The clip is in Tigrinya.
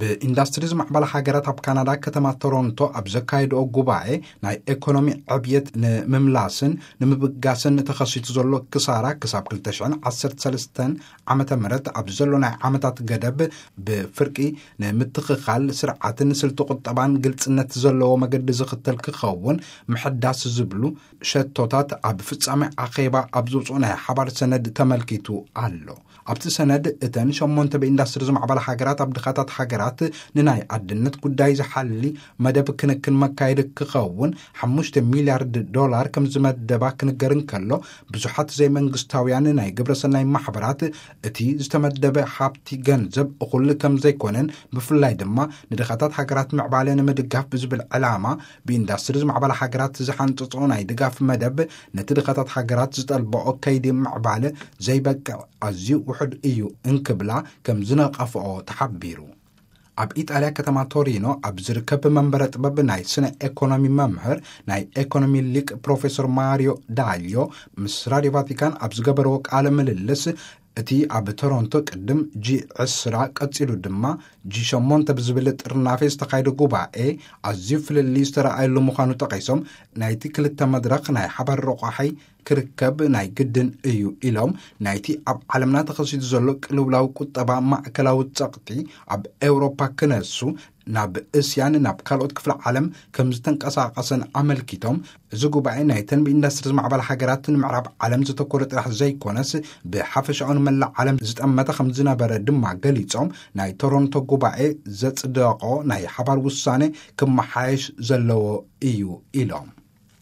ብኢንዱስትሪ ዝማዕበላ ሃገራት ኣብ ካናዳ ከተማ ቶሮንቶ ኣብ ዘካየድኦ ጉባኤ፣ ናይ ኤኮኖሚ ዕብየት ንምምላስን ንምብጋስን ተኸሲቱ ዘሎ ክሳራ ክሳብ ክልተ ሽሕን ዓሰርተ ሰለስተን ዓመተ ምህረት ኣብ ዘሎ ናይ ዓመታት ገደብ ብፍርቂ ንምትኽኻል ስርዓትን ስልቲ ቁጠባን ግልጽነት ዘለዎ መገዲ ዝኽተል ክኸውን ምሕዳስ ዝብሉ ሸቶታት ኣብ ፍጻሜ ኣኼባ ኣብ ዝውፅኡ ናይ ሓባር ሰነድ ተመልኪቱ ኣሎ። ኣብቲ ሰነድ እተን ሸሞንተ ብኢንዱስትሪ ዝማዕበላ ሃገራት ኣብ ድኻታት ሃገራት ንናይ ኣድነት ጉዳይ ዝሓሊ መደብ ክንክን መካየዲ ክኸውን ሓሙሽተ ሚልያርድ ዶላር ከም ዝመደባ ክንገር እንከሎ፣ ብዙሓት ዘይመንግስታውያን ናይ ግብረሰናይ ማሕበራት እቲ ዝተመደበ ሃብቲ ገንዘብ እኹል ከም ዘይኮነን፣ ብፍላይ ድማ ንድኻታት ሃገራት ምዕባለ ንምድጋፍ ብዝብል ዕላማ ብኢንዱስትሪ ዝማዕበላ ሃገራት ዝሓንጽጾ ናይ ድጋፍ መደብ ነቲ ድኻታት ሃገራት ዝጠልበኦ ከይዲ ምዕባለ ዘይበቅዕ ኣዝዩ ውሑድ እዩ እንክብላ ከም ዝነቐፍኦ ተሓቢሩ። ኣብ ኢጣልያ ከተማ ቶሪኖ ኣብ ዝርከብ መንበረ ጥበብ ናይ ስነ ኤኮኖሚ መምህር ናይ ኤኮኖሚ ሊቅ ፕሮፌሰር ማሪዮ ዳልዮ ምስ ራዲዮ ቫቲካን ኣብ ዝገበርዎ ቃለ ምልልስ፣ እቲ ኣብ ቶሮንቶ ቅድም ጂ ዕስራ ቀጺሉ ድማ ጂ ሸሞንተ ብዝብል ጥርናፌ ዝተኻየደ ጉባኤ ኣዝዩ ፍልልይ ዝተረኣየሉ ምዃኑ ጠቒሶም፣ ናይቲ ክልተ መድረኽ ናይ ሓባር ረቋሒ ክርከብ ናይ ግድን እዩ ኢሎም፣ ናይቲ ኣብ ዓለምና ተኸሲቱ ዘሎ ቅልውላው ቁጠባ ማእከላዊ ጸቕጢ ኣብ ኤውሮፓ ክነሱ ናብ እስያን ናብ ካልኦት ክፍለ ዓለም ከም ዝተንቀሳቐሰን ኣመልኪቶም፣ እዚ ጉባኤ ናይተን ብኢንዱስትሪ ዝማዕበላ ሃገራት ንምዕራብ ዓለም ዘተኮረ ጥራሕ ዘይኮነስ ብሓፈሻኡ ንመላእ ዓለም ዝጠመተ ከም ዝነበረ ድማ ገሊጾም፣ ናይ ቶሮንቶ ጉባኤ ዘጽደቖ ናይ ሓባር ውሳኔ ክመሓየሽ ዘለዎ እዩ ኢሎም።